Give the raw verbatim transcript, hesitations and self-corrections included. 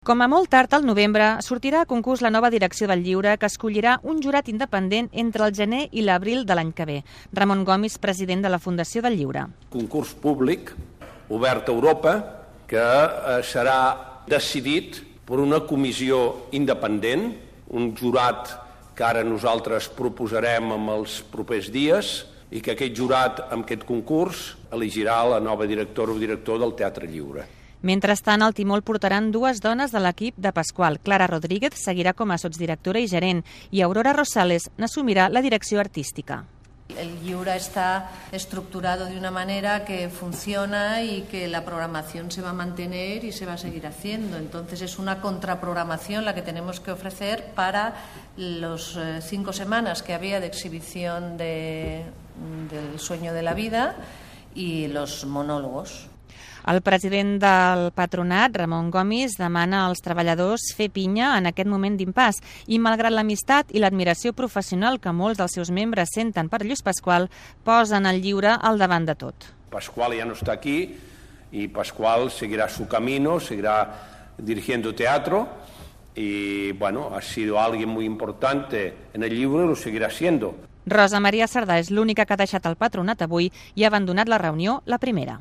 Com a molt tard al novembre, sortirà a concurs la nova direcció del Lliure, que escollirà un jurat independent entre el gener i l'abril de l'any que ve. Ramon Gomis, president de la Fundació del Lliure. Concurs públic, obert a Europa, que serà decidit per una comissió independent, un jurat que ara nosaltres proposarem en els propers dies, i que aquest jurat, amb aquest concurs, elegirà la nova directora o director del Teatre Lliure. Mentrestant, el timó el portaran dues dones de l'equip de Pasqual. Clara Rodríguez seguirà com a sotsdirectora i gerent i Aurora Rosales n'assumirà la direcció artística. El Lliure está estructurado de una manera que funciona y que la programación se va a mantener y se va a seguir haciendo. Entonces es una contraprogramación la que tenemos que ofrecer para los eh, cinco semanas que había de exhibición de, del Sueño de la Vida y los monólogos. El president del patronat, Ramon Gomis, demana als treballadors fer pinya en aquest moment d'impàs i, malgrat l'amistat i l'admiració professional que molts dels seus membres senten per Lluís Pasqual, posen el Lliure al davant de tot. Pasqual ya no está aquí y Pasqual seguirá su camino, seguirá dirigiendo teatro y, bueno, ha sido alguien muy importante en el Lliure y lo seguirá siendo. Rosa Maria Sardà és l'única que ha deixat el patronat avui i ha abandonat la reunió la primera.